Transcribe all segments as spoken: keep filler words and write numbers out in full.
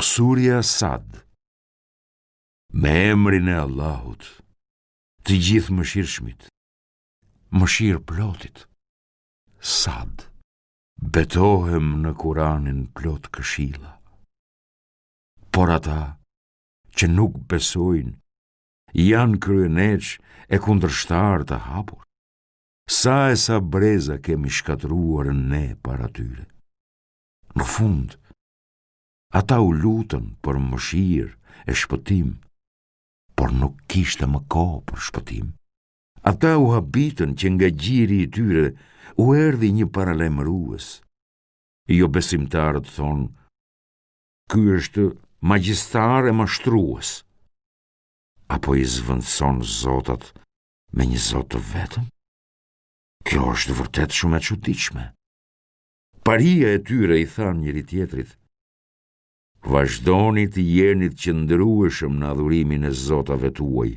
Surja Sad. Me emrin e Allahut, të Gjithëmëshirshmit, mëshirëplotit. Sad. Betohem në Kuranin plot këshilla. Por ata që nuk besojnë janë kryeneç e kundërshtarë të hapur. Sa e sa breza kemi shkatërruar ne para tyre. Në fund, ata u lutën për mëshirë e shpëtim, por nuk kishte më kohë për shpëtim. Ata u habitën që nga gjiri i tyre u erdhi një paralajmërues. Jobesimtarët thonë, ky është magjistar e mashtrues. Apo i zëvendëson zotat me një zot të vetëm? Kjo është vërtet shumë e çuditshme. Paria e tyre i thanë njëri tjetrit, vazhdoni të jeni të qëndrueshëm në adhurimin e zotave tuaj,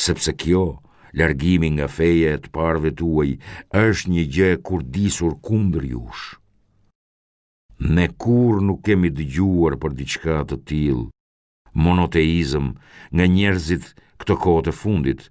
sepse kjo, largimi nga feja e të parëve tuaj, është një gjë e kurdisur kundër jush. Ne kurrë nuk kemi dëgjuar për diçka të tillë, monoteizëm, nga njerëzit këto kohët e fundit.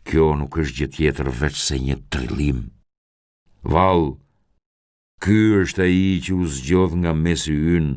Kjo nuk është gjë tjetër veçse një trillim. Vallë, ky është ai që u zgjodh nga mesi ynë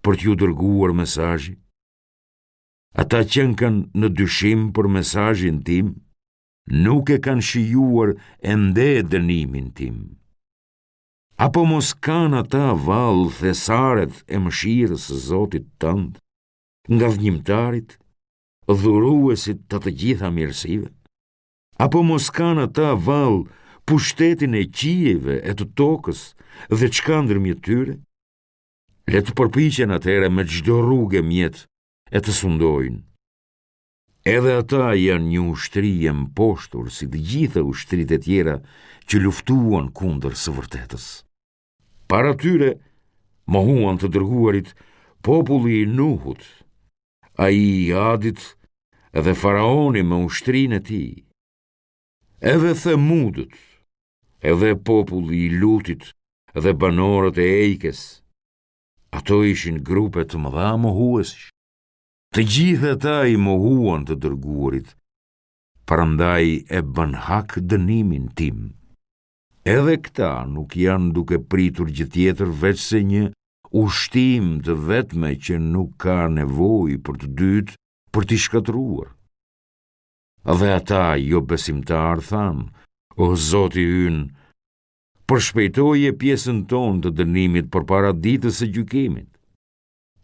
për t'ju dërguar mesazhi? Ata qenkan në dyshim për mesazhin tim, nuk e kanë shijuar ende dënimin tim. Apo mos kanë ata vallë thesaret e mëshirës së Zotit tënd, ngadhnjimtarit, dhuruesit të të gjitha mirësive? Apo mos kanë ata vallë pushtetin e qiejve e të tokës dhe çka ndërmjet tyre? Le të përpiqen atëherë me çdo rrugë e mjet e të sundojnë. Edhe ata janë një ushtri e mposhtur si të gjitha ushtritë e tjera që luftuan kundër së vërtetës. Para tyre mohuan të dërguarit populli i Nuhut, ai i Adit dhe faraoni me ushtrinë e tij. Edhe Themudët, edhe populli i Lutit dhe banorët e Ejkes. Ato ishin grupe të mëdha mohuesish. Të gjithë ata i mohuan të dërguarit, prandaj e bën hak dënimin tim. Edhe këta nuk janë duke pritur gjë tjetër veçse një ushtim të vetme që nuk ka nevojë për të dytë për t'i shkatërruar. Dhe ata jobesimtarë thanë, o Zoti ynë, përshpejtoje pjesën tonë të dënimit përpara ditës së gjykimit.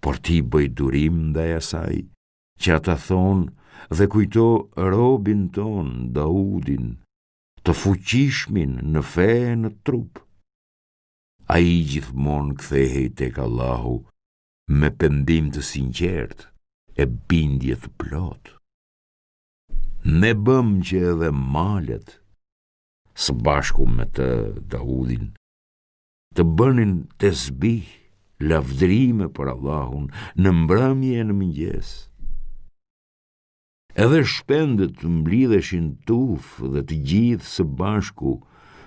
Por ti bëj durim ndaj asaj që ata thonë dhe kujto robin tonë, Daudin, të fuqishmin në fe e në trup. Ai gjithmonë kthehej tek Allahu me pendim të sinqert e bindje të plotë. Ne bëm që edhe malet, së bashku me të Daudin, të bënin tesbih, lavdërime për Allahun në mbrëmje e në mëngjes. Edhe shpendët mblidheshin tufë dhe të gjithë së bashku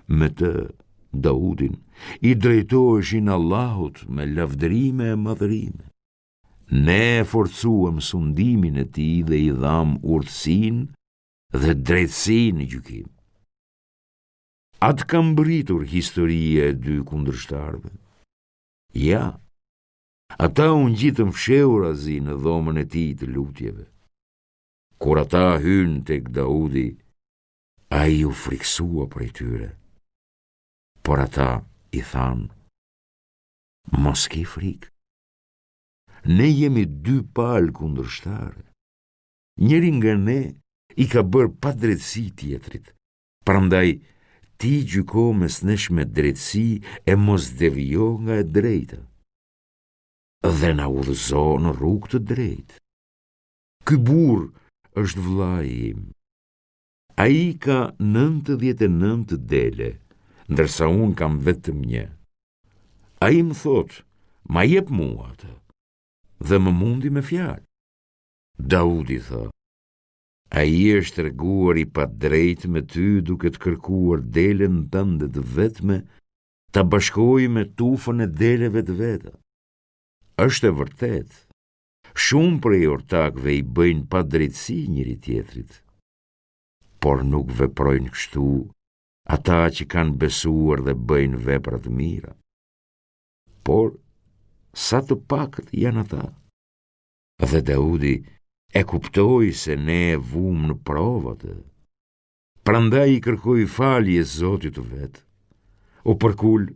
me të Daudin, i drejtoheshin Allahut me lavdërime e madhërime. Ne e forcuam sundimin e tij dhe i dham urtësinë dhe drejtësinë në gjykim. A të ka mbërritur historia e dy kundërshtarëve? Ja, ata u ngjitën fshehurazi në dhomën e tij të lutjeve. Kur ata hynë tek Daudi, ai u frikësua prej tyre. Por ata i thanë, mos ki frikë. Ne jemi dy palë kundërshtare. Njëri nga ne i ka bërë padrejtësi tjetrit. Prandaj ti gjyko mes nesh me drejtësi e mos devijo nga e drejta. Dhe na udhëzo në rrugë të drejtë. Ky burrë është vëllai im. Ai ka nëntëdhjetë e nëntë dele, ndërsa unë kam vetëm një. Ai më thotë, ma jep mua atë, dhe më mundi me fjalë. Daudi tha, ai është treguar i padrejtë me ty duke të kërkuar delen tënde të vetme, ta bashkojë me tufën e deleve të veta. Është e vërtetë, Shumë prej ortakëve i bëjnë padrejtësi njëri-tjetrit, por nuk veprojnë kështu ata që kanë besuar dhe bëjnë vepra të mira. Por, sa të pakët janë ata? Dhe Daudi e kuptoi se ne e vumë në provë atë. Prandaj i kërkoi falje Zotit të vet. U përkul,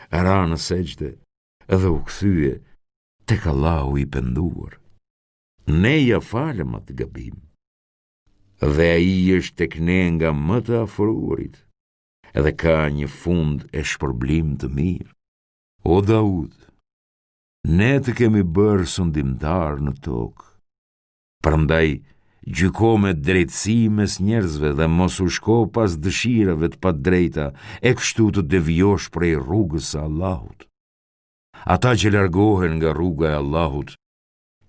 ra në sexhde dhe u kthye tek Allahu i penduar. Ne ia falëm atë gabim. Dhe ai është tek ne nga më të afruarit dhe ka një fund e shpërblim të mirë. O Daud, ne të kemi bërë sundimtar në tokë. Prandaj, gjyko me drejtësi mes njerëzve dhe mos u shko pas dëshirave të padrejta e kështu të devijosh prej rrugës së Allahut. Ata që largohen nga rruga e Allahut,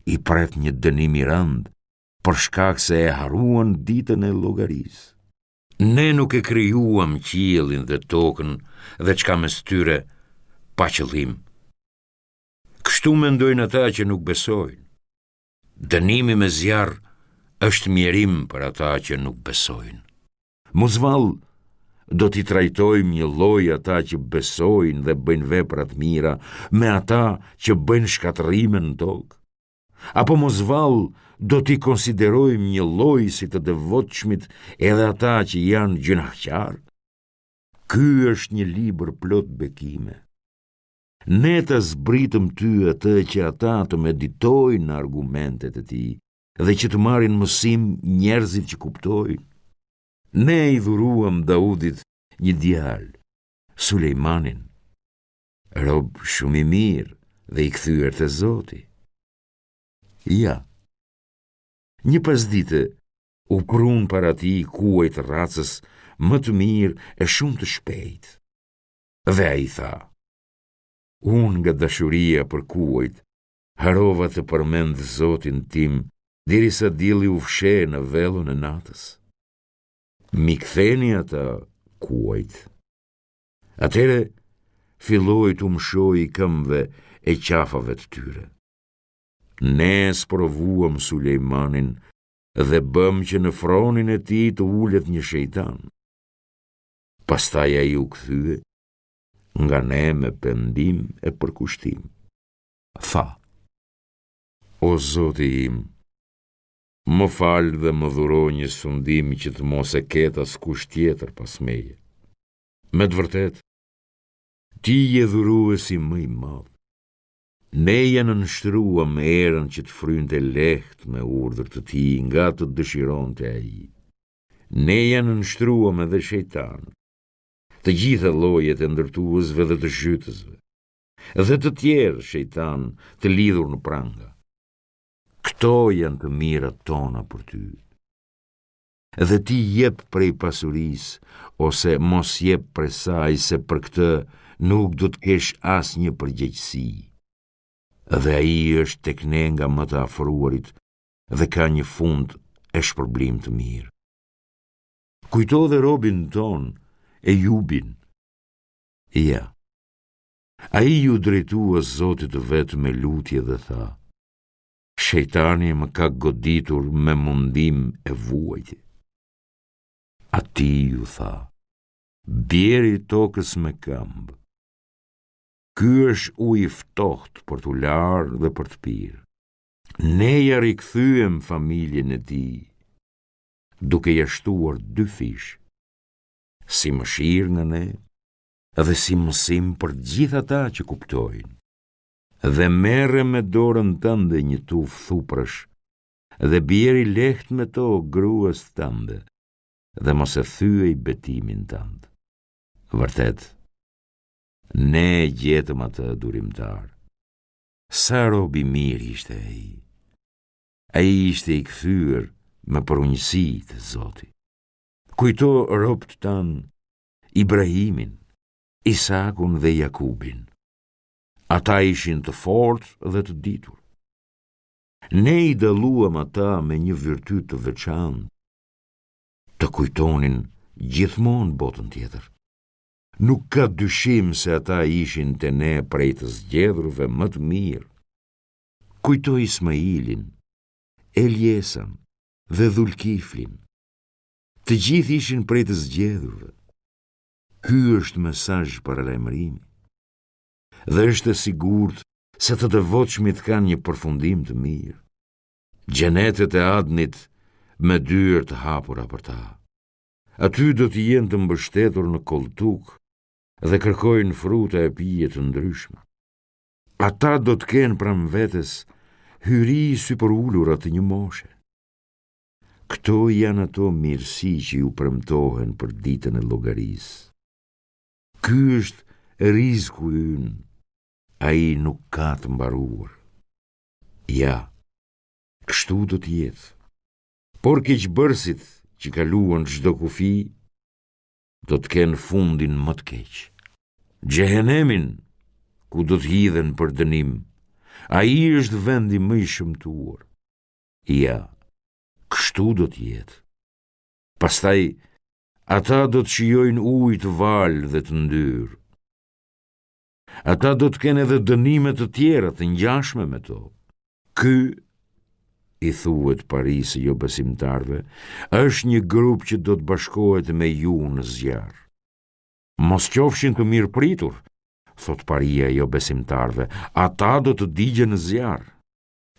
i pret një dënim i rëndë, për shkak se e harruan ditën e llogarisë. Ne nuk e krijuam qiellin dhe tokën dhe çka mes tyre pa qëllim. Kështu mendojnë ata që nuk besojnë. Dënimi me zjarr është mjerim për ata që nuk besojnë. Mos vallë, do t'i trajtojmë njëlloj ata që besojnë dhe bëjnë vepra të mira me ata që bëjnë shkatërrime në tokë? Apo mos vallë, do t'i konsiderojmë njëlloj si të devotshmit edhe ata që janë gjynahqarë? Ky është një libër plot bekime. Ne ta zbritëm ty atë që ata të meditojnë në argumentet e tij dhe që të marrin mësim njerëzit që kuptojnë. Ne i dhuruam Daudit një djalë, Sulejmanin, rob shumë i mirë dhe i kthyer te Zoti. Ja, një pasdite u prunë para tij kuaj të racës më të mirë e shumë të shpejtë. Dhe ai tha, unë nga dashuria për kuajt, harrova të përmend Zotin tim, derisa dielli u fsheh në vellon e natës. M'i ktheni ata kuajt. Atëherë filloi t'u mëshojë këmbëve e qafave të tyre. Ne sprovuam Sulejmanin dhe bëmë që në fronin e tij të ulet një shejtan. Pastaj ai u kthye nga ne me pendim e përkushtim. Tha, o Zoti im, më fal dhe më dhuro një sundim që të mos e ketë askush tjetër pas meje. Me të vërtetë, ti je dhuruesi më i madh. Ne ia nënshtruam erën që të frynte lehtë me urdhër të tij nga të dëshironte ai. Ne ia nënshtruam edhe shejtanët, të gjitha llojet e ndërtuesve dhe të zhytësve, dhe të tjerë shejtanë të lidhur në pranga. Këto janë të mirat tona për ty. Dhe ti jep prej pasurisë, ose mos jep prej saj, se për këtë nuk do të kesh asnjë përgjegjësi. Dhe ai është tek ne nga më të afruarit dhe ka një fund e shpërblim të mirë. Kujto dhe robin tonë, Ejubin. Ja, ai iu drejtua Zotit të vet me lutje dhe tha, Shejtani më ka goditur me mundim e vuajtje. Atij iu tha, bjeri tokës me këmbë. Ky është ujë i ftohtë për t'u larë dhe për të pirë. Ne ia rikthyem familjen e tij, duke ia shtuar dyfish, si mëshirë nga ne dhe si mësim për gjithë ata që kuptojnë. Dhe merre me dorën tënde një tufë thuprësh dhe bjeri lehtë me to gruas tënde dhe mos e thyej betimin tënd. Vërtet, ne e gjetëm atë durimtar. Sa rob i mirë ishte ai. Ai ishte i kthyer me përunjësi te Zoti. Kujto robët tanë, Ibrahimin, Isakun dhe Jakubin. Ata ishin të fortë dhe të ditur. Ne i dalluam ata me një virtyt të veçantë, të kujtonin gjithmonë botën tjetër. Nuk ka dyshim se ata ishin te ne prej të zgjedhurve më të mirë. Kujto Ismailin, Eljesan dhe Dhulkiflin. Të gjithë ishin prej të zgjedhurve. Ky është mesazh paralajmërimi. Dhe është e sigurt se të devotshmit kanë një përfundim të mirë. Xhenetet e Adnit me dyer të hapura për ta. Aty do të jenë të mbështetur në kolltuk dhe kërkojnë fruta e pije të ndryshme. Ata do të kenë pranë vetes hyri sypërulura të një moshe. Këto janë ato mirësi që ju premtohen për ditën e llogarisë. Ky është rizku ynë, ai nuk ka të mbaruar. Ja, kështu do të jetë. Por keqbërësit që kaluan çdo kufi, do të kenë fundin më të keq. Xhehenemin, ku do të hidhen për dënim, ai është vendi më i shëmtuar. Ja, kështu do të jetë. Pastaj, ata do të shijojnë ujë të valë dhe të ndyrë. Ata do të kenë edhe dënime të tjera të ngjashme me to. Ky, i thuhet parisë së jobesimtarëve, është një grup që do të bashkohet me ju në zjarr. Mos qofshin të mirëpritur, thotë paria e jobesimtarëve, ata do të digjen në zjarr.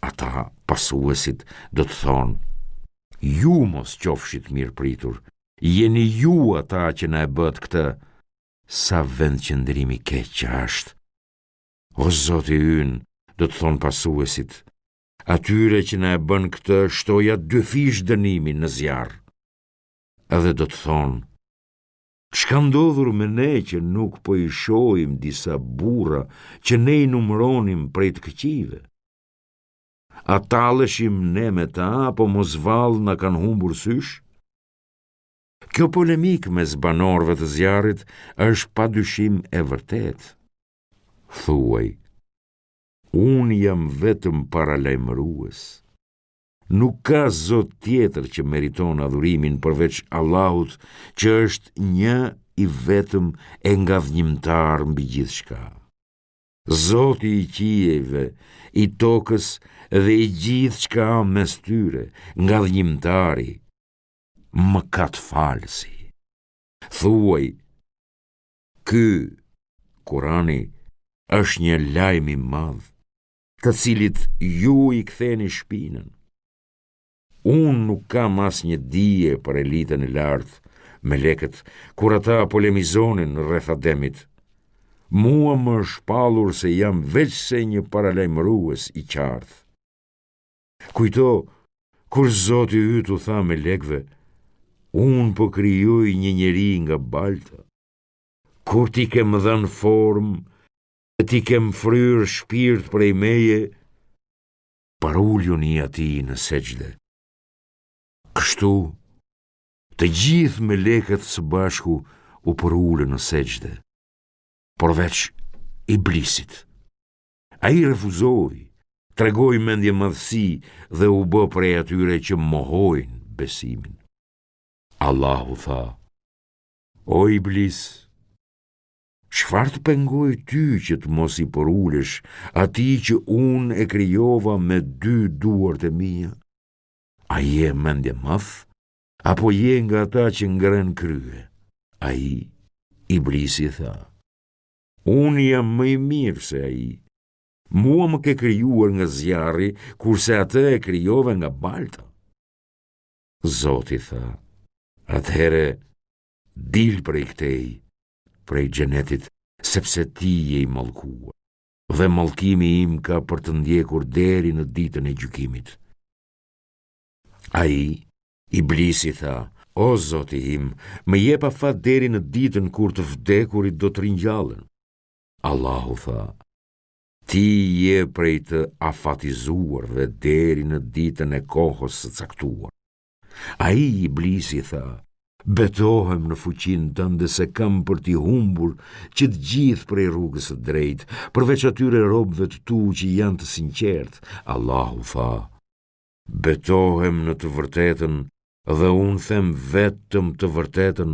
Ata, pasuesit, do të thonë, ju mos qofshit mirëpritur, jeni ju ata që na e bëtë këtë, sa vendqëndrim i keq që është. O Zoti ynë, do të thonë pasuesit, atyre që na e bënë këtë shtoja dyfish dënimin në zjarr. Edhe do të thonë, ç'ka ndodhur me ne që nuk po i shohim disa burra që ne i numëronim prej të këqijve? A talleshim ne me ta, apo mos vallë na kanë humbur sysh? Kjo polemikë mes banorëve të zjarrit është pa dyshim e vërtetë. Thuaj, unë jam vetëm paralajmërues. Nuk ka zot tjetër që meriton adhurimin përveç Allahut, që është një i vetëm e ngadhnjimtar mbi gjithçka. Zoti i qiejve, i tokës dhe i gjithçka mes tyre, ngadhnjimtari, mëkatfalësi. Thuaj, ky, Kurani, është një lajm i madh, të cilit ju i ktheni shpinën. Unë nuk kam asnjë dije për elitën e lartë, melekët, kur ata polemizonin rreth Ademit. Mua më është shpallur se jam veçse një paralajmërues i qartë. Kujto, kur Zoti yt u tha melekëve, unë po krijoj një njeri nga balta. Kur t'i kem dhënë formë, e t'i kem fryrë shpirt prej meje, paruljuni atij në sexhde. Kështu, të gjithë melekët së bashku u përulën në sexhde, përveç Iblisit. Ai refuzoi, tregoi mendjemadhësi dhe u bë prej atyre që mohojnë besimin. Allahu tha, o Iblis, çfarë të pengoi ty që të mos i përulesh atij që unë e krijova me dy duart e mia? A je mendjemadh, apo je nga ata që ngrenë krye? Ai, Iblisi tha, unë jam më i mirë se ai. Mua më ke krijuar nga zjarri, kurse atë e krijove nga balta. Zoti tha, atëherë dil prej këtej, prej xhenetit, sepse ti je i mallkuar, dhe mallkimi im ka për të ndjekur deri në ditën e gjykimit. Ai, Iblisi tha, o Zoti im, më jep afat deri në ditën kur të vdekurit do të ringjallen. Allahu tha, ti je prej të afatizuarve deri në ditën e kohës së caktuar. Ai, Iblisi tha, betohem në fuqinë tënde se kam për t'i humbur që të gjithë prej rrugës së drejtë, përveç atyre robëve të tu që janë të sinqertë. Allahu tha, betohem në të vërtetën dhe unë them vetëm të vërtetën,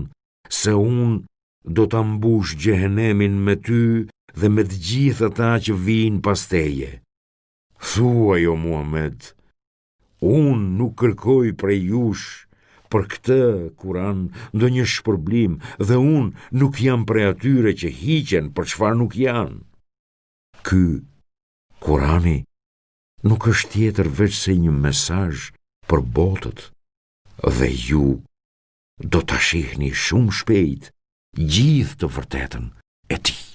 se unë do ta mbush xhehenemin me ty dhe me të gjithë ata që vijnë pas teje. Thuaj o Muhammed, unë nuk kërkoj prej jush për këtë Kuran ndonjë shpërblim dhe unë nuk jam prej atyre që hiqen për çfarë nuk janë. Ky Kurani nuk është tjetër veçse një mesazh për botët dhe ju do ta shihni shumë shpejt gjithë të vërtetën e tij.